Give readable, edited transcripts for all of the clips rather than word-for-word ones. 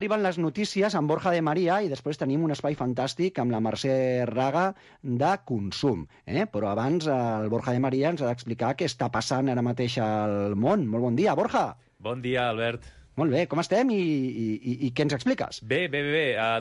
Arriben les notícies amb Borja de Maria i després tenim un espai fantàstic amb la Mercè Raga de consum. Però abans el Borja de Maria ens ha d'explicar què està passant ara mateix al món. Molt bon dia, Borja. Bon dia, Albert. Molt bé, com estem i què ens expliques? Bé.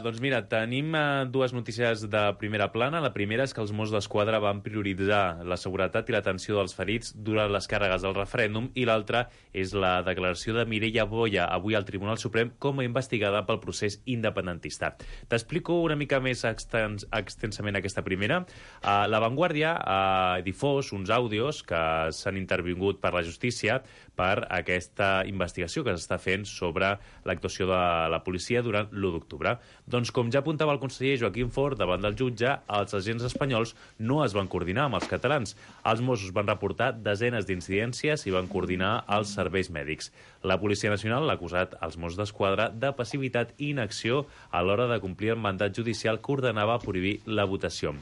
Doncs mira, tenim dues notícies de primera plana. La primera és que els Mossos d'Esquadra van prioritzar la seguretat i l'atenció dels ferits durant les càrregues del referèndum, i l'altra és la declaració de Mireia Boya avui al Tribunal Suprem com a investigada pel procés independentista. T'explico una mica més extensament aquesta primera. La Vanguardia ha difós uns àudios que s'han intervingut per la justícia per aquesta investigació que s'està fent sobre l'actuació de la policia durant l'1 d'octubre. Doncs, com ja apuntava el conseller Joaquim Forn davant del jutge, els agents espanyols no es van coordinar amb els catalans. Els Mossos van reportar desenes d'incidències i van coordinar els serveis mèdics. La Policia Nacional l'ha acusat als Mossos d'Esquadra de passivitat i inacció a l'hora de complir el mandat judicial que ordenava prohibir la votació.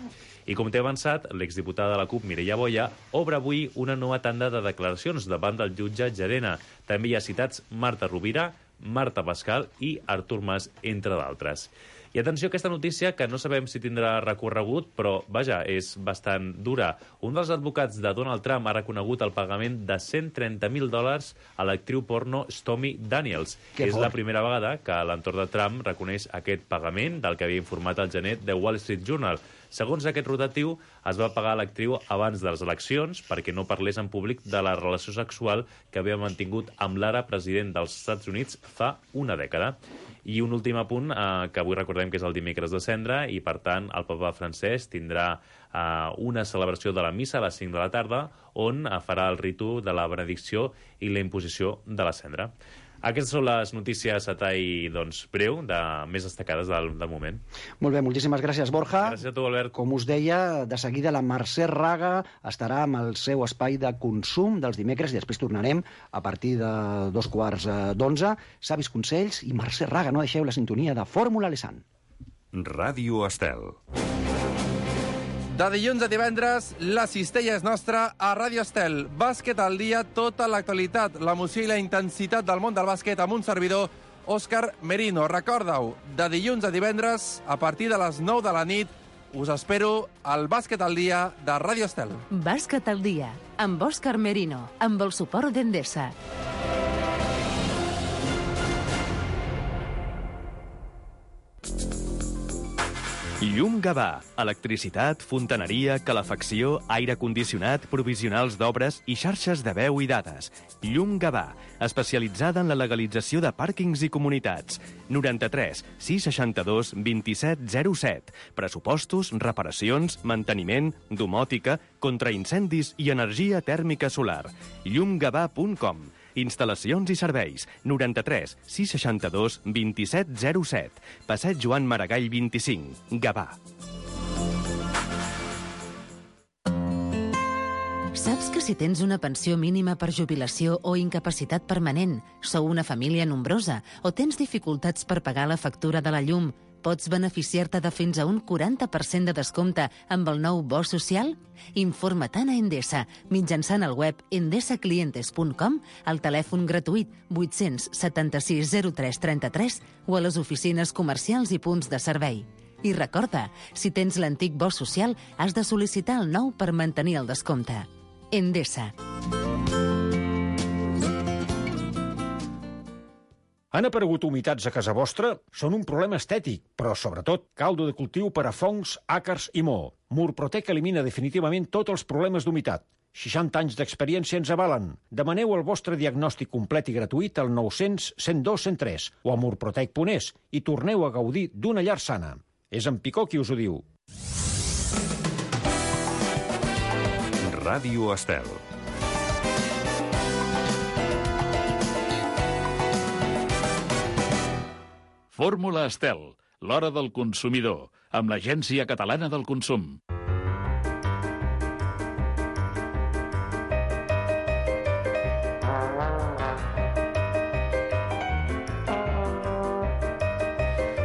I com t'he avançat, l'exdiputada de la CUP, Mireia Boya, obre avui una nova tanda de declaracions davant del jutge Llarena. També hi ha citats Marta Rovira, Marta Pascal i Artur Mas, entre d'altres. I atenció a aquesta notícia, que no sabem si tindrà recorregut, però, vaja, és bastant dura. Un dels advocats de Donald Trump ha reconegut el pagament de $130.000 a l'actriu porno Stormy Daniels. És la primera vegada que l'entorn de Trump reconeix aquest pagament, del que havia informat el gener The Wall Street Journal. Segons aquest rotatiu, es va pagar a l'actriu abans de les eleccions perquè no parlés en públic de la relació sexual que havia mantingut amb l'ara president dels Estats Units fa una dècada. I un últim apunt, que avui recordem que és el dimecres de Cendra, i per tant el papa francès tindrà una celebració de la missa a les 5 de la tarda, on farà el ritu de la benedicció i la imposició de la cendra. Aquestes són les notícies a tall breu, més destacades del moment. Molt bé, moltíssimes gràcies, Borja. Gràcies a tu, Albert. Com us deia, de seguida la Mercè Raga estarà amb el seu espai de consum dels dimecres i després tornarem a partir de 11:15. Savis consells i Mercè Raga. No deixeu la sintonia de Fórmula Lesan. Ràdio Estel. De dilluns a divendres, la cistella és nostra a Ràdio Estel. Bàsquet al dia, tota l'actualitat, l'emoció i la intensitat del món del bàsquet amb un servidor, Òscar Merino. Recorda-ho, de dilluns a divendres, a partir de les 9 de la nit, us espero al Bàsquet al dia de Ràdio Estel. Bàsquet al dia, amb Òscar Merino, amb el suport d'Endesa. Llum Gavà. Electricitat, fontaneria, calefacció, aire condicionat, provisionals d'obres i xarxes de veu i dades. Llum Gavà, especialitzada en la legalització de pàrquings i comunitats. 93 662 2707. Pressupostos, reparacions, manteniment, domòtica, contraincendis i energia tèrmica solar. llumgavà.com. Instal·lacions i serveis. 93 662 2707. Passeig Joan Maragall 25. Gavà. Saps que si tens una pensió mínima per jubilació o incapacitat permanent, sou una família nombrosa o tens dificultats per pagar la factura de la llum, pots beneficiar-te de fins a un 40% de descompte amb el nou bo social? Informa-te'n a Endesa mitjançant el web endesaclientes.com, al telèfon gratuït 876 03 33 o a les oficines comercials i punts de servei. I recorda, si tens l'antic bo social, has de sol·licitar el nou per mantenir el descompte. Endesa. Han aparegut humitats a casa vostra? Són un problema estètic, però sobretot caldo de cultiu per a fongs, àcars i moho. Murprotec elimina definitivament tots els problemes d'humitat. 60 anys d'experiència ens avalen. Demaneu el vostre diagnòstic complet i gratuït al 900 102 103 o a murprotec.es i torneu a gaudir d'una llar sana. És en Picó qui us ho diu. Ràdio Estel. Fórmula Estel, l'hora del consumidor, amb l'Agència Catalana del Consum.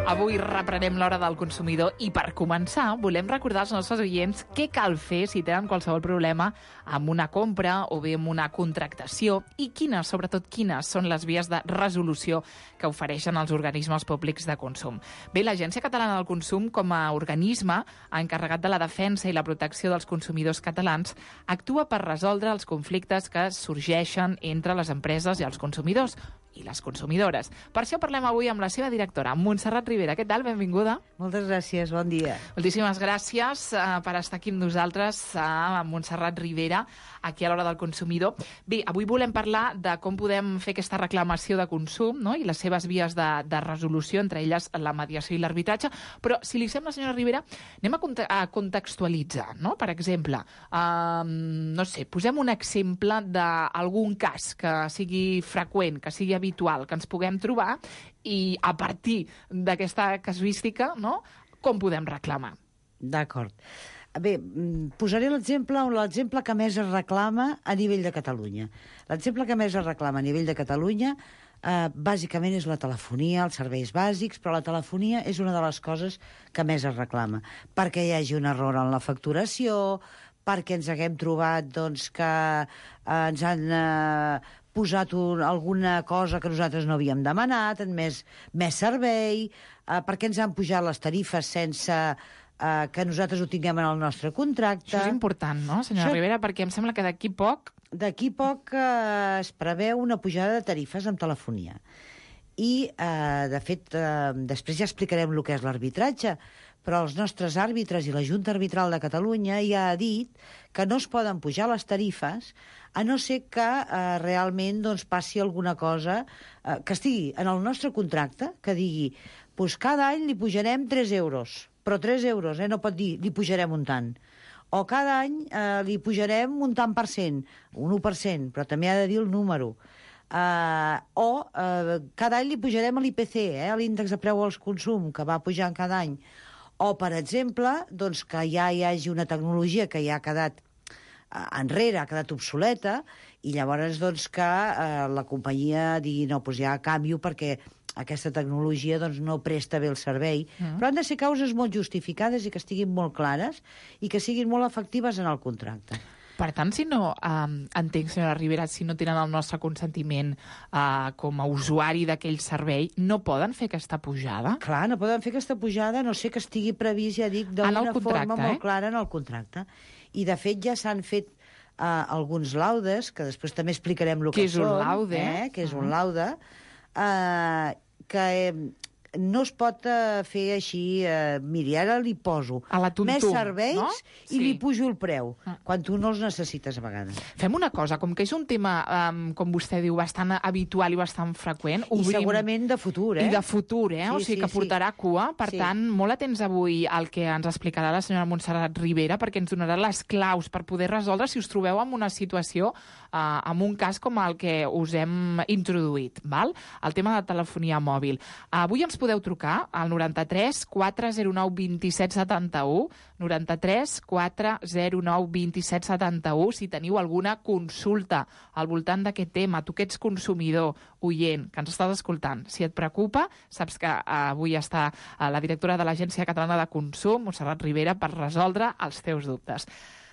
Avui reprenem l'hora del consumidor i per començar volem recordar als nostres oients què cal fer si tenen qualsevol problema amb una compra o bé amb una contractació i quines, sobretot quines, són les vies de resolució que ofereixen els organismes públics de consum. Bé, l'Agència Catalana del Consum, com a organisme encarregat de la defensa i la protecció dels consumidors catalans, actua per resoldre els conflictes que sorgeixen entre les empreses i els consumidors i les consumidores. Per això parlem avui amb la seva directora, Montserrat Ribera. Què tal? Benvinguda. Moltes gràcies, bon dia. Moltíssimes gràcies per estar aquí amb nosaltres, Montserrat Ribera, aquí a l'Hora del Consumidor. Bé, avui volem parlar de com podem fer aquesta reclamació de consum, no?, i les seves vies de resolució, entre elles la mediació i l'arbitratge, però, si li sembla, senyora Ribera, anem a contextualitzar, no? Per exemple, no sé, posem un exemple d'algun cas que sigui freqüent, que sigui habitual, que ens puguem trobar, i a partir d'aquesta casuística, no?, com podem reclamar. D'acord. Bé, posaré l'exemple que més es reclama a nivell de Catalunya. L'exemple que més es reclama a nivell de Catalunya bàsicament és la telefonia, els serveis bàsics, però la telefonia és una de les coses que més es reclama, perquè hi hagi un error en la facturació, perquè ens haguem trobat doncs, que ens han posat alguna cosa que nosaltres no havíem demanat, més servei, perquè ens han pujat les tarifes sense que nosaltres ho tinguem en el nostre contracte. Això és important, no, senyora Ribera? Perquè em sembla que d'aquí poc es preveu una pujada de tarifes en telefonia. I, de fet, després ja explicarem el que és l'arbitratge, però els nostres àrbitres i la Junta Arbitral de Catalunya ja ha dit que no es poden pujar les tarifes a no ser que realment doncs, passi alguna cosa que estigui en el nostre contracte, que digui doncs cada any li pujarem 3 euros, però 3 euros, no pot dir li pujarem un tant. O cada any li pujarem un tant per cent, un 1%, però també ha de dir el número. Cada any li pujarem l'IPC, l'índex de preu als consum, que va pujant cada any. O, per exemple, doncs, que ja hi hagi una tecnologia que ja ha quedat enrere, ha quedat obsoleta, i llavors doncs, que la companyia digui no, doncs ja canvio perquè aquesta tecnologia doncs, no presta bé el servei. Però han de ser causes molt justificades i que estiguin molt clares i que siguin molt efectives en el contracte. Per tant, si no, entenc, senyora Ribera, si no tenen el nostre consentiment com a usuari d'aquell servei, no poden fer aquesta pujada? Clar, no poden fer aquesta pujada, no sé que estigui previst, ja dic, d'una forma molt clara en el contracte. I, de fet, ja s'han fet alguns laudes, que després també explicarem el que són. Què és un laude? Que és un laude, que no es pot fer així, miri, ara li poso més serveis, no? I li pujo el preu, quan tu no els necessites a vegades. Fem una cosa, com que és un tema, com vostè diu, bastant habitual i bastant freqüent, obrim... I segurament de futur, I de futur, o sigui que portarà cua. Per tant, molt atents avui al que ens explicarà la senyora Montserrat Ribera, perquè ens donarà les claus per poder resoldre si us trobeu en una situació, en un cas com el que us hem introduït, val? El tema de telefonia mòbil. Avui ens podeu trucar al 93 409 27 71, 93 409 27 71, si teniu alguna consulta al voltant d'aquest tema. Tu que ets consumidor, oient, que ens estàs escoltant, si et preocupa, saps que avui està la directora de l'Agència Catalana de Consum, Montserrat Ribera, per resoldre els teus dubtes.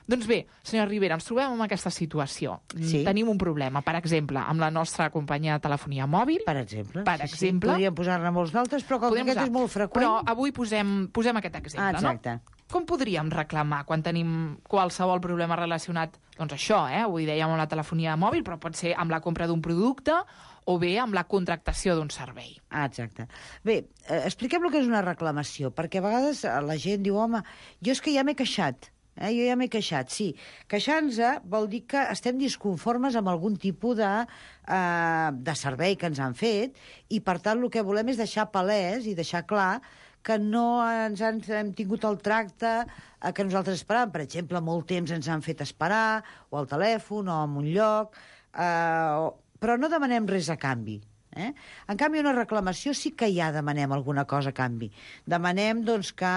Doncs bé, senyora Ribera, ens trobem en aquesta situació. Sí. Tenim un problema, per exemple, amb la nostra companyia de telefonia mòbil. Per exemple. Sí. Podríem posar-ne molts d'altres, però com aquest és molt freqüent... Però avui posem aquest exemple, exacte. No? Com podríem reclamar quan tenim qualsevol problema relacionat, doncs això, avui dèiem amb la telefonia mòbil, però pot ser amb la compra d'un producte o bé amb la contractació d'un servei. Exacte. Bé, expliquem el que és una reclamació, perquè a vegades la gent diu, home, jo és que ja m'he queixat. Jo ja m'he queixat, sí. Queixar-nos vol dir que estem disconformes amb algun tipus de servei que ens han fet i, per tant, el que volem és deixar palès i deixar clar que no hem tingut el tracte que nosaltres esperàvem. Per exemple, molt temps ens han fet esperar, o al telèfon, o en un lloc, però no demanem res a canvi. En canvi, una reclamació sí que ja demanem alguna cosa a canvi. Demanem doncs, que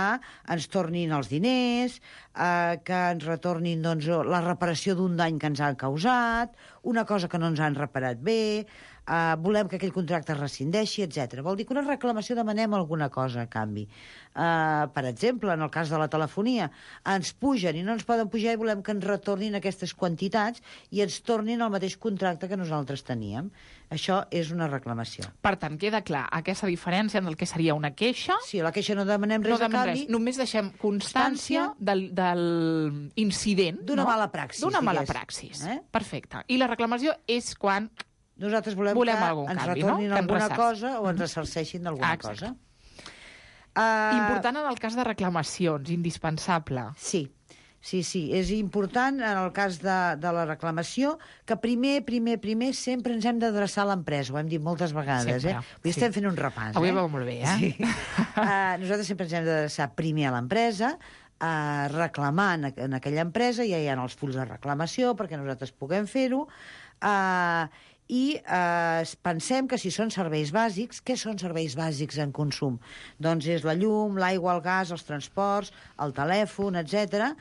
ens tornin els diners, que ens retornin doncs, la reparació d'un dany que ens han causat, una cosa que no ens han reparat bé, volem que aquell contracte es rescindeixi, etc. Vol dir que una reclamació demanem alguna cosa a canvi. Per exemple, en el cas de la telefonia, ens pugen i no ens poden pujar i volem que ens retornin aquestes quantitats i ens tornin el mateix contracte que nosaltres teníem. Això és una reclamació. Per tant, queda clar aquesta diferència en el que seria una queixa. Sí, a la queixa no demanem res a canvi. Només deixem constància del incident. D'una mala praxis. D'una mala praxis. Perfecte. I la reclamació és quan nosaltres volem que ens retornin alguna cosa o ens ressarceixin d'alguna cosa. Important en el cas de reclamacions, indispensable. Sí, és important en el cas de la reclamació que primer sempre ens hem d'adreçar a l'empresa, ho hem dit moltes vegades. Avui estem fent un repàs. Avui va molt bé, Sí. Nosaltres sempre ens hem d'adreçar primer a l'empresa, reclamar en aquella empresa, ja hi ha els fulls de reclamació perquè nosaltres puguem fer-ho, i pensem que si són serveis bàsics, què són serveis bàsics en consum? Doncs és la llum, l'aigua, el gas, els transports, el telèfon, etc.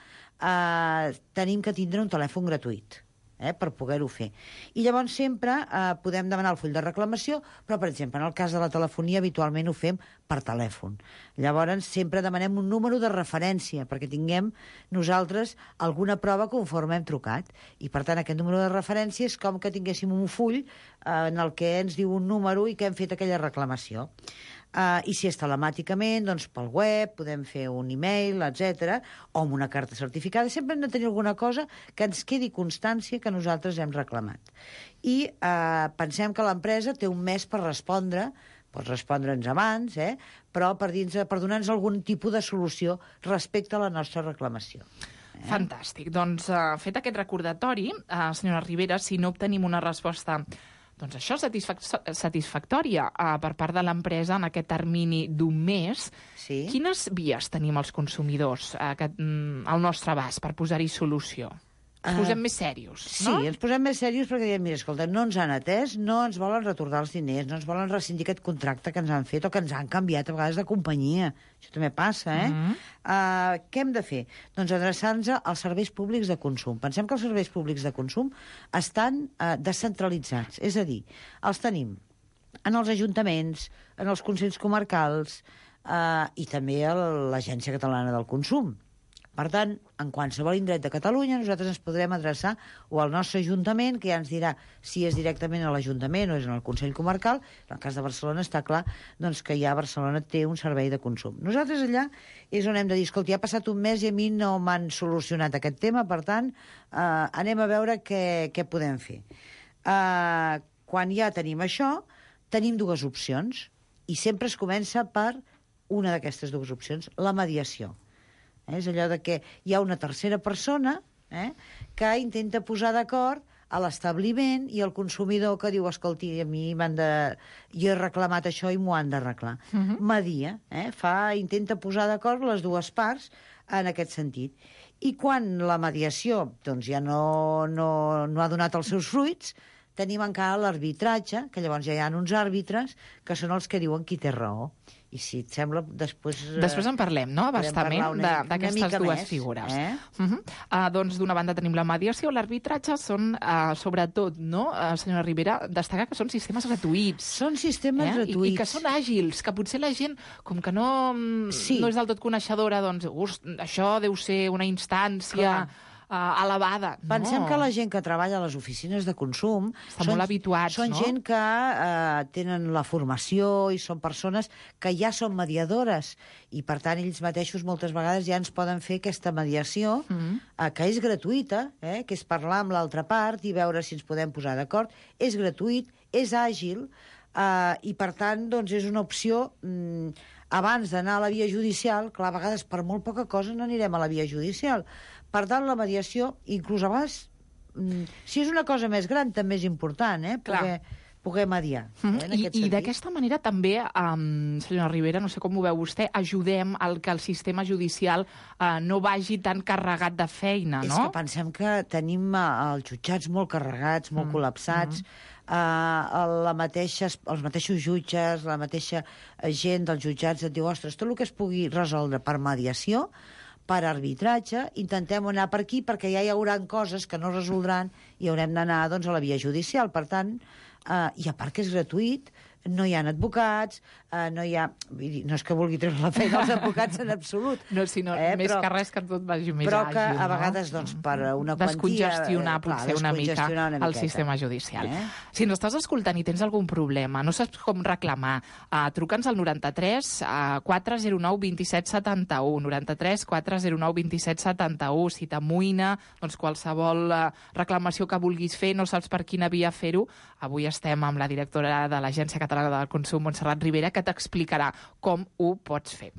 Tenim que tindre un telèfon gratuït per poder-ho fer. I llavors sempre podem demanar el full de reclamació, però, per exemple, en el cas de la telefonia habitualment ho fem per telèfon. Llavors sempre demanem un número de referència perquè tinguem nosaltres alguna prova conforme hem trucat. I, per tant, aquest número de referència és com que tinguéssim un full en el que ens diu un número i que hem fet aquella reclamació. I si és telemàticament, doncs pel web, podem fer un e-mail, etc, o amb una carta certificada. Sempre hem de tenir alguna cosa que ens quedi constància que nosaltres hem reclamat. I pensem que l'empresa té un mes per respondre, pots respondre'ns abans, però per donar-nos algun tipus de solució respecte a la nostra reclamació. Fantàstic. Doncs fet aquest recordatori, senyora Ribera, si no obtenim una resposta doncs això, satisfactòria per part de l'empresa en aquest termini d'un mes. Sí. Quines vies tenim els consumidors al nostre abast per posar-hi solució? Ens posem més serios, no? Sí, ens posem més serios perquè diem, mira, escolta, no ens han atès, no ens volen retornar els diners, no ens volen rescindir aquest contracte que ens han fet o que ens han canviat a vegades de companyia. Això també passa, Què hem de fer? Doncs adreçar-nos als serveis públics de consum. Pensem que els serveis públics de consum estan descentralitzats, és a dir, els tenim en els ajuntaments, en els consells comarcals i també a l'Agència Catalana del Consum. Per tant, en qualsevol indret de Catalunya nosaltres ens podrem adreçar o al nostre ajuntament, que ja ens dirà si és directament a l'Ajuntament o és en el Consell Comarcal. En el cas de Barcelona està clar doncs, que ja Barcelona té un servei de consum. Nosaltres allà és on hem de dir, escolta, ja ha passat un mes i a mi no m'han solucionat aquest tema, per tant, anem a veure què podem fer. Quan ja tenim això, tenim dues opcions, i sempre es comença per una d'aquestes dues opcions, la mediació. És allò de que hi ha una tercera persona que intenta posar d'acord a l'establiment i el consumidor que diu, escolti, a mi jo he reclamat això i m'ho han d'arreglar. Media, intenta posar d'acord les dues parts en aquest sentit. I quan la mediació doncs, ja no ha donat els seus fruits, tenim encara l'arbitratge, que llavors ja hi ha uns àrbitres que són els que diuen qui té raó. I si et sembla, després... Després en parlem, no?, abastament d'aquestes dues figures. Doncs, d'una banda tenim la mediació, l'arbitratge són, sobretot, no, senyora Ribera, destacar que són sistemes gratuïts. Són sistemes gratuïts. I que són àgils, que potser la gent, com que no és del tot coneixedora, doncs, això deu ser una instància... elevada. Pensem que la gent que treballa a les oficines de consum molt habituats, són gent que tenen la formació i són persones que ja són mediadores i, per tant, ells mateixos moltes vegades ja ens poden fer aquesta mediació que és gratuïta, que és parlar amb l'altra part i veure si ens podem posar d'acord. És gratuït, és àgil i, per tant, doncs, és una opció... Abans d'anar a la via judicial, clar, a vegades per molt poca cosa no anirem a la via judicial. Per tant, la mediació, inclús a vegades, si és una cosa més gran, també és important, poder mediar. I d'aquesta manera també, senyora Ribera, no sé com ho veu vostè, ajudem al que el sistema judicial no vagi tan carregat de feina, no? És que pensem que tenim els jutjats molt carregats, molt col·lapsats, els mateixos jutges, la mateixa gent dels jutjats et diu, ostres, tot el que es pugui resoldre per mediació, per arbitratge, intentem anar per aquí perquè ja hi haurà coses que no resoldran i haurem d'anar doncs, a la via judicial. Per tant, i a part que és gratuït, no hi ha advocats, no hi ha... No és que vulgui treure la feina als advocats en absolut. No, sinó més que res que tot vagi més àgil. Però que a vegades, doncs, per una quantia... Descongestionar potser una mica el sistema judicial. Si no estàs escoltant i tens algun problema, no saps com reclamar, truca'ns al 93 409 27 71, 93 409 27 71. Si t'amoïna, doncs qualsevol reclamació que vulguis fer, no saps per quina via fer-ho, avui estem amb la directora de l'Agència Catalana del Consum, Montserrat Ribera, que t'explicarà com ho pots fer.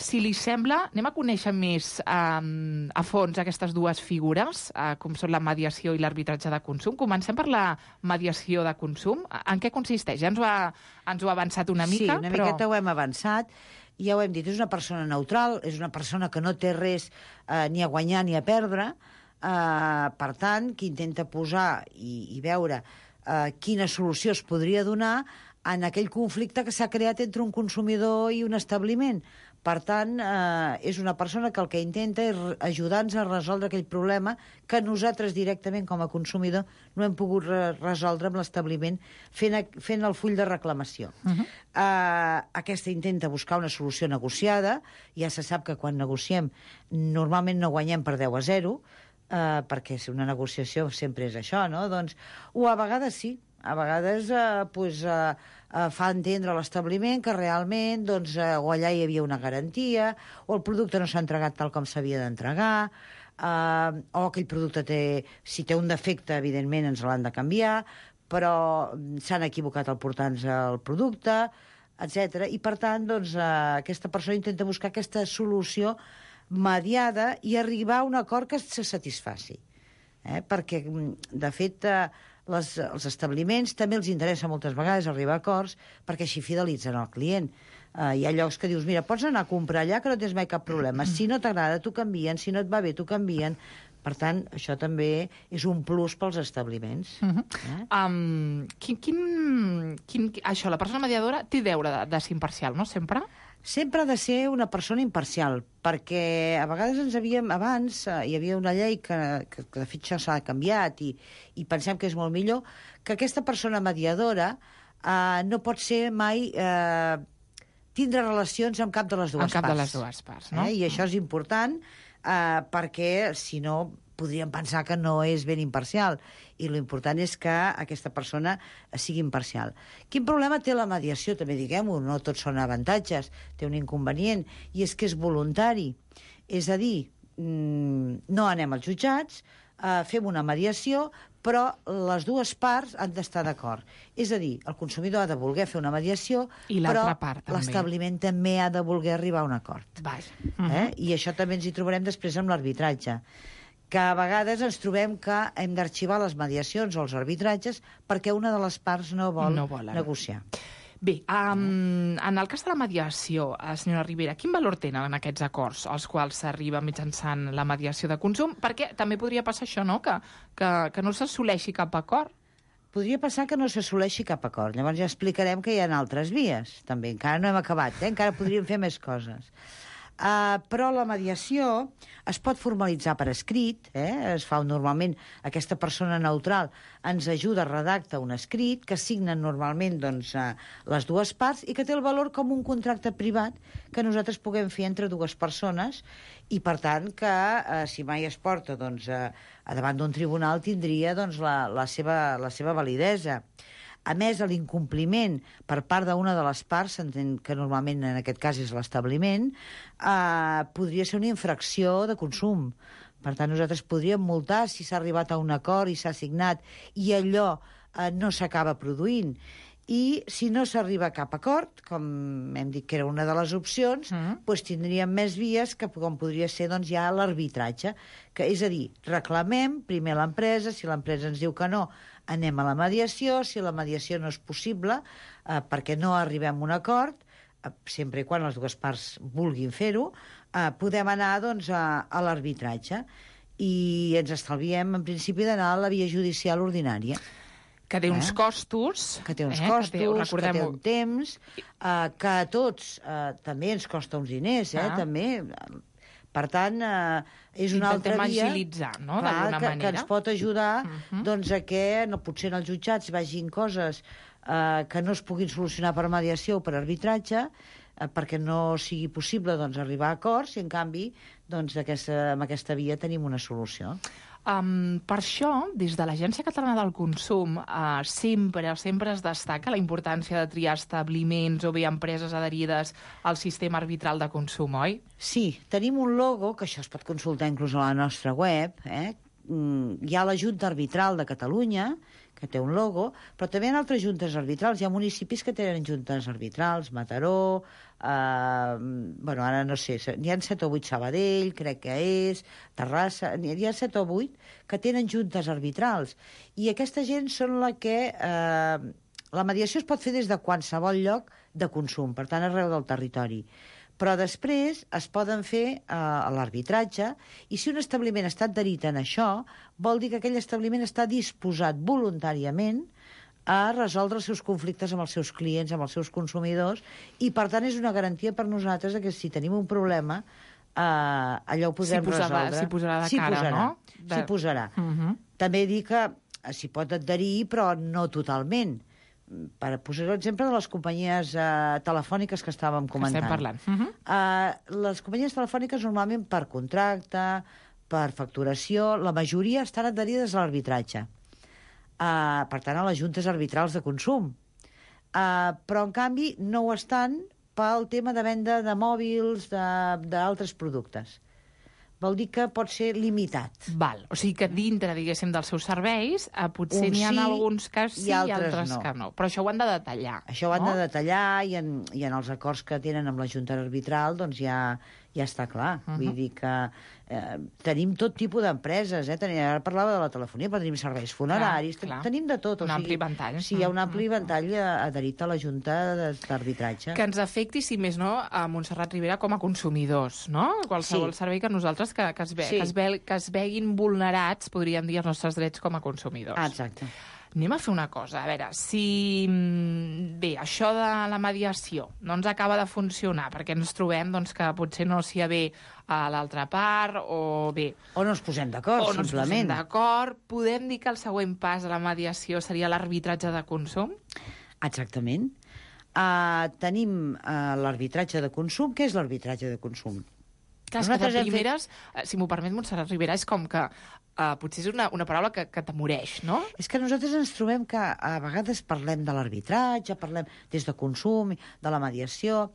Si li sembla, anem a conèixer més a fons aquestes dues figures, com són la mediació i l'arbitratge de consum. Comencem per la mediació de consum. En què consisteix? Ja ens ho ha avançat una mica. Sí, una miqueta ho hem avançat. Ja ho hem dit, és una persona neutral, és una persona que no té res ni a guanyar ni a perdre. Per tant, que intenta posar i veure quina solució es podria donar en aquell conflicte que s'ha creat entre un consumidor i un establiment. Per tant, és una persona que el que intenta és ajudar-nos a resoldre aquell problema que nosaltres directament com a consumidor no hem pogut resoldre amb l'establiment fent el full de reclamació. Aquesta intenta buscar una solució negociada. Ja se sap que quan negociem normalment no guanyem per 10-0, perquè si una negociació sempre és això, no? Doncs, o a vegades sí, a vegades fa entendre a l'establiment que realment doncs, o allà hi havia una garantia, o el producte no s'ha entregat tal com s'havia d'entregar, o aquell producte si té un defecte, evidentment ens l'han de canviar, però s'han equivocat al portar-nos el producte, etc. I per tant, doncs, aquesta persona intenta buscar aquesta solució mediada i arribar a un acord que se satisfaci. Perquè, de fet, els establiments també els interessa moltes vegades arribar a acords perquè així fidelitzen el client. Hi ha llocs que dius, mira, pots anar a comprar allà que no tens mai cap problema. Si no t'agrada, t'ho canvien. Si no et va bé, t'ho canvien. Per tant, això també és un plus pels establiments. Això, la persona mediadora té deure de ser imparcial, no? Sempre? Sempre ha de ser una persona imparcial, perquè a vegades abans hi havia una llei que de fet ja s'ha canviat i pensem que és molt millor, que aquesta persona mediadora no pot ser mai tindre relacions amb cap de les dues parts. Amb cap de les dues parts, no? I això és important perquè, si no, podríem pensar que no és ben imparcial. I l'important és que aquesta persona sigui imparcial. Quin problema té la mediació? També diguem-ho, no tots són avantatges. Té un inconvenient, i és que és voluntari. És a dir, no anem als jutjats, fem una mediació, però les dues parts han d'estar d'acord. És a dir, el consumidor ha de voler fer una mediació, però l'establiment també ha de voler arribar a un acord. I això també ens hi trobarem després amb l'arbitratge, que a vegades ens trobem que hem d'arxivar les mediacions o els arbitratges perquè una de les parts no vol negociar. Bé, en el cas de la mediació, senyora Ribera, quin valor tenen aquests acords als quals s'arriba mitjançant la mediació de consum? Perquè també podria passar això, no?, que no s'assoleixi cap acord. Podria passar que no s'assoleixi cap acord. Llavors ja explicarem que hi ha altres vies. També encara no hem acabat, encara podríem fer més coses. Però la mediació es pot formalitzar per escrit, es fa normalment, aquesta persona neutral ens ajuda a redactar un escrit que signen normalment doncs, les dues parts i que té el valor com un contracte privat que nosaltres puguem fer entre dues persones i per tant que si mai es porta doncs, davant d'un tribunal tindria doncs, la seva validesa. A més, l'incompliment per part d'una de les parts, que normalment en aquest cas és l'establiment, podria ser una infracció de consum. Per tant, nosaltres podríem multar si s'ha arribat a un acord i s'ha signat i allò no s'acaba produint. I si no s'arriba a cap acord, com hem dit que era una de les opcions, doncs tindríem més vies que com podria ser doncs, ja l'arbitratge. És a dir, reclamem primer l'empresa, si l'empresa ens diu que no, anem a la mediació, si la mediació no és possible, perquè no arribem a un acord, sempre i quan les dues parts vulguin fer-ho, podem anar doncs, a l'arbitratge i ens estalviem, en principi, d'anar a la via judicial ordinària. Que té uns costos. Que té uns costos, que té un temps, que a tots també ens costa uns diners, també, Per tant, és una altra via... Intentem agilitzar, no?, d'alguna manera. Que ens pot ajudar doncs, a que potser en els jutjats vagin coses que no es puguin solucionar per mediació o per arbitratge, perquè no sigui possible doncs, arribar a acords, i en canvi doncs, amb aquesta via tenim una solució. Per això, des de l'Agència Catalana del Consum, sempre es destaca la importància de triar establiments o bé empreses adherides al sistema arbitral de consum, oi? Sí, tenim un logo, que això es pot consultar inclús a la nostra web. Hi ha la Junta Arbitral de Catalunya, que té un logo, però també hi ha altres juntes arbitrals. Hi ha municipis que tenen juntes arbitrals, Mataró, ara no sé, n'hi ha 7 o 8 Sabadell, crec que és, Terrassa, n'hi ha 7 o 8 que tenen juntes arbitrals. I aquesta gent són la que... la mediació es pot fer des de qualsevol lloc de consum, per tant, arreu del territori. Però després es poden fer a l'arbitratge, i si un establiment està adherit en això, vol dir que aquell establiment està disposat voluntàriament a resoldre els seus conflictes amb els seus clients, amb els seus consumidors, i per tant és una garantia per nosaltres que si tenim un problema, allò ho podrem resoldre. S'hi posarà de cara, no? S'hi posarà. També dir que s'hi pot adherir, però no totalment. Per posar l'exemple de les companyies telefòniques que estàvem comentant. Estem parlant. Les companyies telefòniques normalment per contracte, per facturació, la majoria estan adherides a l'arbitratge. Per tant, a les juntes arbitrals de consum. Però, en canvi, no ho estan pel tema de venda de mòbils, d'altres productes. Vol dir que pot ser limitat. Val. O sigui que dintre, diguéssim, dels seus serveis, potser n'hi ha alguns que sí i altres que no. Però això ho han de detallar. Això ho han de detallar, i en els acords que tenen amb la Junta Arbitral doncs ja està clar. Vull dir que tenim tot tipus d'empreses. Ara parlava de la telefonia, però tenim serveis funeraris, tenim de tot. Un ampli ventall. Sí, hi ha un ampli ventall adherit a la Junta d'Arbitratge. Que ens afecti, si més no, a Montserrat Ribera com a consumidors, no? Qualsevol servei que nosaltres que es veguin vulnerats, podríem dir, els nostres drets com a consumidors. Exacte. Anem a fer una cosa, a veure, si bé, això de la mediació no ens acaba de funcionar, perquè ens trobem doncs, que potser no s'hi ha bé a l'altra part, o bé... O no ens posem d'acord, simplement. O no ens posem d'acord. Podem dir que el següent pas de la mediació seria l'arbitratge de consum? Exactament. Tenim l'arbitratge de consum. Què és l'arbitratge de consum? Clar, és que de primeres, si m'ho permet, Montserrat Ribera, és com que potser és una paraula que t'amoreix, no? És que nosaltres ens trobem que a vegades parlem de l'arbitratge, parlem des de consum, de la mediació,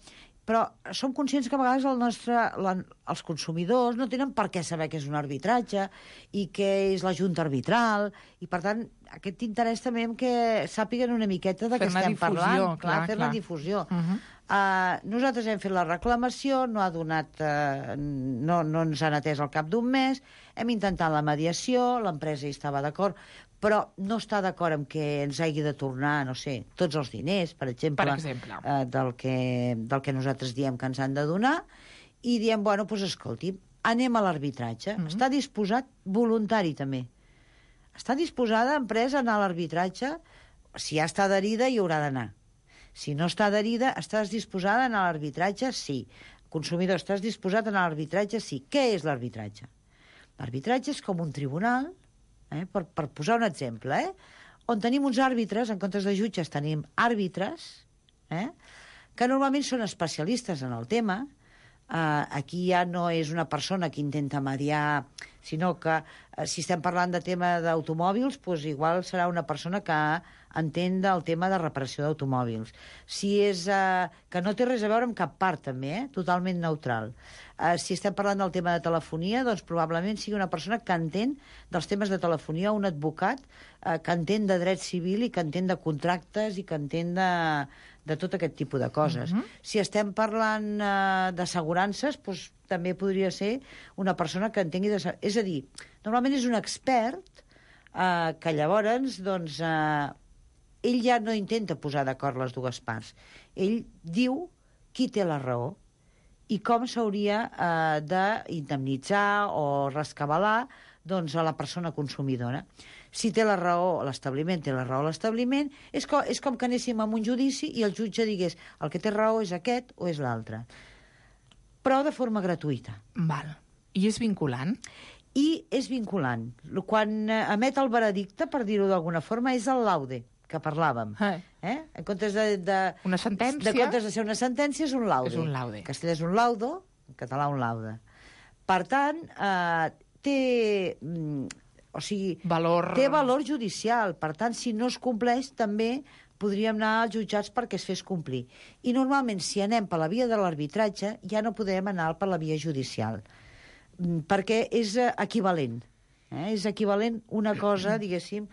però som conscients que a vegades els consumidors no tenen per què saber què és un arbitratge i què és la junta arbitral, i per tant aquest interès també en que sàpiguen una miqueta de què estem parlant. Fer la difusió. Nosaltres hem fet la reclamació, no ens han atès al cap d'un mes, hem intentat la mediació, l'empresa hi estava d'acord, però no està d'acord amb que ens hagi de tornar, no sé, tots els diners, per exemple. Del que nosaltres diem que ens han de donar, i diem, bueno, doncs escolti, anem a l'arbitratge. Està disposat, voluntari també. Està disposada l'empresa a anar a l'arbitratge? Si ja està adherida, hi haurà d'anar. Si no està adherida, estàs disposada a anar a l'arbitratge? Sí. Consumidor, estàs disposat a anar a l'arbitratge? Sí. Què és l'arbitratge? L'arbitratge és com un tribunal, per posar un exemple, on tenim uns àrbitres, en comptes de jutges tenim àrbitres, que normalment són especialistes en el tema. Aquí ja no és una persona que intenta mediar, sinó que si estem parlant de tema d'automòbils, doncs igual serà una persona que entén del tema de reparació d'automòbils. Si és que no té res a veure amb cap part, també, totalment neutral. Si estem parlant del tema de telefonia, doncs probablement sigui una persona que entén dels temes de telefonia, un advocat que entén de dret civil i que entén de contractes i que entén de tot aquest tipus de coses. Si estem parlant d'assegurances, doncs també podria ser una persona que entengui... És a dir, normalment és un expert que llavors, doncs, ell ja no intenta posar d'acord les dues parts. Ell diu qui té la raó i com s'hauria d'indemnitzar o rescabalar doncs, a la persona consumidora. Si té la raó l'establiment, té la raó l'establiment, és com que anéssim a un judici i el jutge digués el que té raó és aquest o és l'altre. Però de forma gratuïta. Val. I és vinculant? I és vinculant. Quan emet el veredicte, per dir-ho d'alguna forma, és el laude, que parlàvem. En comptes una sentència? De comptes de ser una sentència, és un laude. És un laude. En castellà és un laudo, en català un laude. Per tant, té valor judicial. Per tant, si no es compleix, també podríem anar als jutjats perquè es fes complir. I normalment, si anem per la via de l'arbitratge, ja no podem anar per la via judicial, perquè és equivalent. És equivalent una cosa, diguéssim,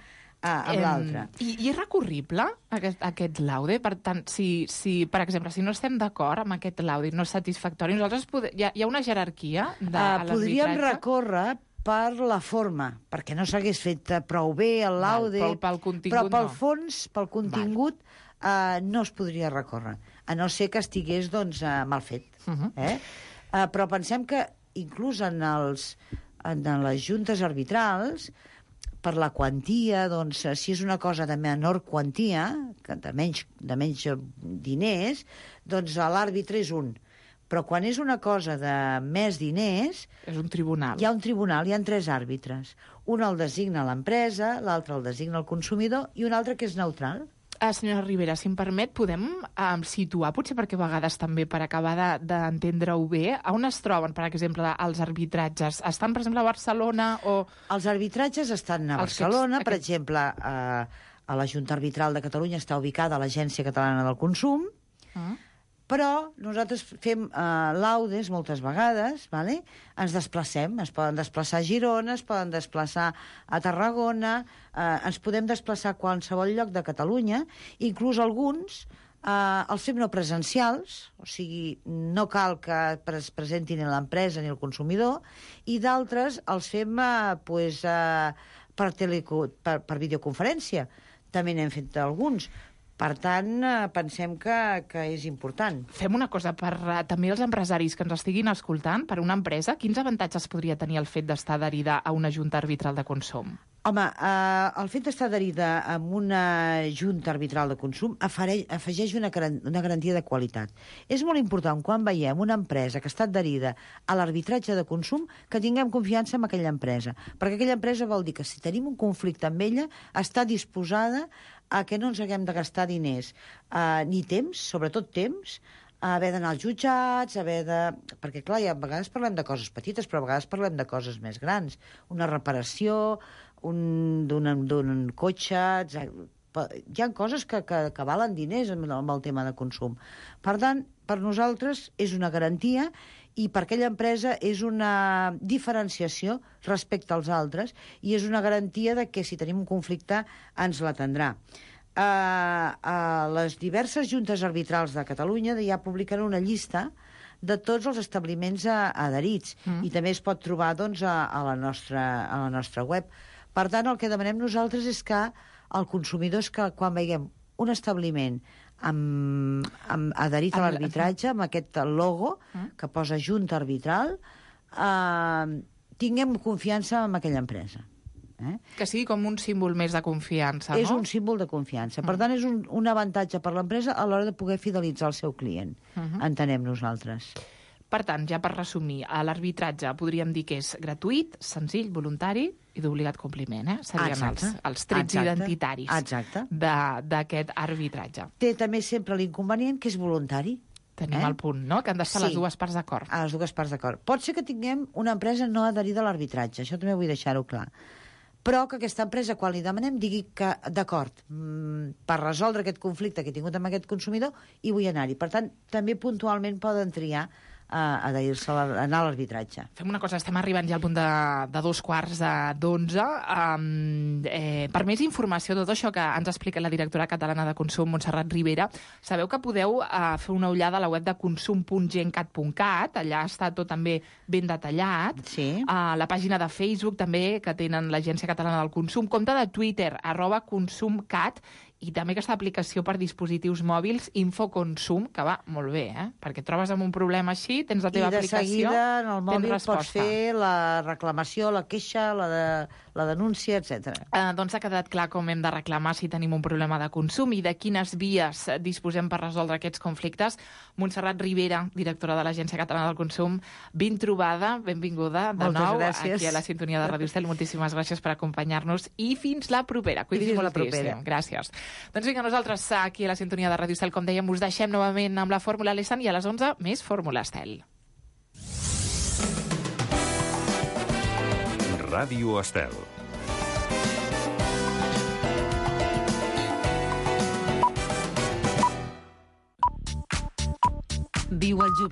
amb l'altra. I és recurrible, aquest laude? Per tant, si per exemple, si no estem d'acord amb aquest laude, no és satisfactori, nosaltres hi ha una jerarquia de l'arbitratge? Podríem recórrer per la forma, perquè no s'hagués fet prou bé el laude, pel contingut però pel fons, pel contingut, no es podria recórrer, a no ser que estigués mal fet. Però pensem que inclús en les juntes arbitrals, per la quantia, si és una cosa de menor quantia, de menys diners, l'àrbitre és un. Però quan és una cosa de més diners... És un tribunal. Hi ha un tribunal, hi ha 3 àrbitres. Un el designa l'empresa, l'altre el designa el consumidor i un altre que és neutral. Senyora Ribera, si em permet, podem situar, potser perquè a vegades també per acabar d'entendre-ho bé, on es troben, per exemple, els arbitratges? Estan, per exemple, a Barcelona o... Els arbitratges estan a Barcelona, per exemple, a la Junta Arbitral de Catalunya està ubicada a l'Agència Catalana del Consum, però nosaltres fem laudes moltes vegades, ens desplacem, es poden desplaçar a Girona, es poden desplaçar a Tarragona, ens podem desplaçar a qualsevol lloc de Catalunya, inclús alguns els fem no presencials, o sigui, no cal que es presentin ni l'empresa ni el consumidor, i d'altres els fem per videoconferència. També n'hem fet alguns. Per tant, pensem que és important. Fem una cosa, per també els empresaris que ens estiguin escoltant, per una empresa, quins avantatges podria tenir el fet d'estar adherida a una junta arbitral de consum? Home, el fet d'estar adherida a una junta arbitral de consum afegeix una garantia de qualitat. És molt important, quan veiem una empresa que està adherida a l'arbitratge de consum, que tinguem confiança en aquella empresa. Perquè aquella empresa vol dir que si tenim un conflicte amb ella, està disposada a que no ens haguem de gastar diners, ni temps, sobretot temps, a haver d'anar als jutjats, perquè, clar, a vegades parlem de coses petites, però a vegades parlem de coses més grans. Una reparació, d'un cotxe... Hi ha coses que valen diners amb el tema de consum. Per tant, per nosaltres és una garantia i per aquella empresa és una diferenciació respecte als altres i és una garantia de que si tenim un conflicte ens l'atendrà. A les diverses juntes arbitrals de Catalunya ja publiquen una llista de tots els establiments adherits i també es pot trobar a la nostra web. Per tant, el que demanem nosaltres és que el consumidor és que quan veiem un establiment adherit a l'arbitratge, amb aquest logo que posa Junta Arbitral, tinguem confiança en aquella empresa. Que sigui com un símbol més de confiança, no? És un símbol de confiança. Per tant, és un avantatge per l'empresa a l'hora de poder fidelitzar el seu client. Entenem nosaltres. Per tant, ja per resumir, l'arbitratge podríem dir que és gratuït, senzill, voluntari i d'obligat compliment, serien els trets identitaris d'aquest arbitratge. Té també sempre l'inconvenient que és voluntari. Tenim el punt, no?, que han d'estar les dues parts d'acord. Les dues parts d'acord. Pot ser que tinguem una empresa no adherida a l'arbitratge, això també vull deixar-ho clar. Però que aquesta empresa, quan li demanem, digui que, d'acord, per resoldre aquest conflicte que he tingut amb aquest consumidor, hi vull anar-hi. Per tant, també puntualment poden triar adherir-se a anar a l'arbitratge. Fem una cosa, estem arribant ja al punt de 2:15. Per més informació de tot això que ens explica la directora catalana de Consum, Montserrat Ribera, sabeu que podeu fer una ullada a la web de consum.gencat.cat, allà està tot també ben detallat. Sí. A la pàgina de Facebook també, que tenen l'Agència Catalana del Consum, compte de Twitter, @consumcat, i també aquesta aplicació per dispositius mòbils, Infoconsum, que va molt bé, perquè et trobes amb un problema així, tens la teva aplicació, I de seguida en el mòbil pots fer la reclamació, la queixa, la denúncia, etc. Doncs ha quedat clar com hem de reclamar si tenim un problema de consum i de quines vies disposem per resoldre aquests conflictes. Montserrat Ribera, directora de l'Agència Catalana del Consum, ben trobada, benvinguda de nou aquí a la sintonia de Ràdio Estel. Moltíssimes gràcies per acompanyar-nos i fins la propera. Cuidis moltíssim. Gràcies. Doncs vinga, nosaltres aquí a la sintonia de Ràdio Estel, com dèiem, us deixem novament amb la Fórmula Lessan i a les 11 més Fórmula Estel. Ràdio Estel. Viu el jubilat